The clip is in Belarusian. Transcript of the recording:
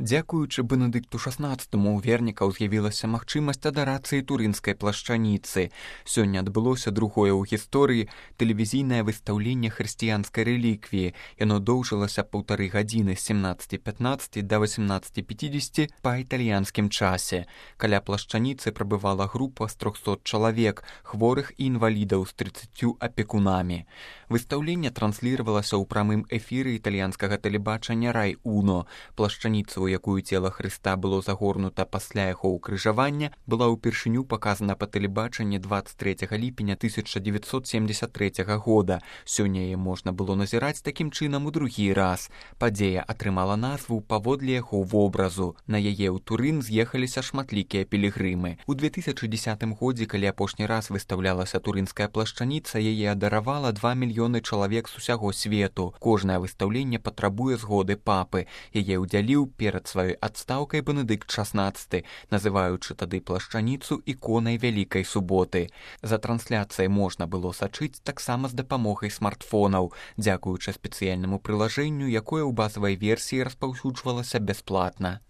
Дзякуючы Бенедыкту XVI у вернікаў з'явілася магчымасць адарацыі турынскай плашчаніцы. Сёння адбылося другое ў гісторыі тэлевізійнае выстаўленне хрысціянскай рэліквіі. Яно доўжылася 1,5 гадзіны з 17:15 да 18:50 па італьянскім часе. Каля плашчаніцы прабывала група з 300 чалавек, хворых і інвалідаў з 30 апекунамі. Выстаўленне трансліравалася ў прамым эфіры італьянскага тэлебачання Рай-Уно. Плашчаніца, у якую цела Хрыста было загорнута пасля яго ўкрыжавання, была ўпершыню паказана па тэлебачанні 23 ліпеня 1973 года. Сёння яе можна было назіраць такім чынам у другі раз. Падзея атрымала назву паводле яго вобразу. На яе ў Турын з'ехаліся шматлікія пілігрымы. У 2010 годзе, калі апошні раз выстаўлялася турынская плашчаніца, яе адаравала 2 мільёны чалавек з усяго свету. Кожнае выстаўленне патрабуе згоды папы. Яе ўдзяліў перад сваёй адстаўкай Бенедыкт XVI, называючы тады плашчаніцу іконай Вялікай суботы. За трансляцыяй можна было сачыць таксама з дапамогай смартфонаў, дзякуючы спецыяльнаму прылажэнню, якое ў базавай версіі распаўсюджвалася бясплатна.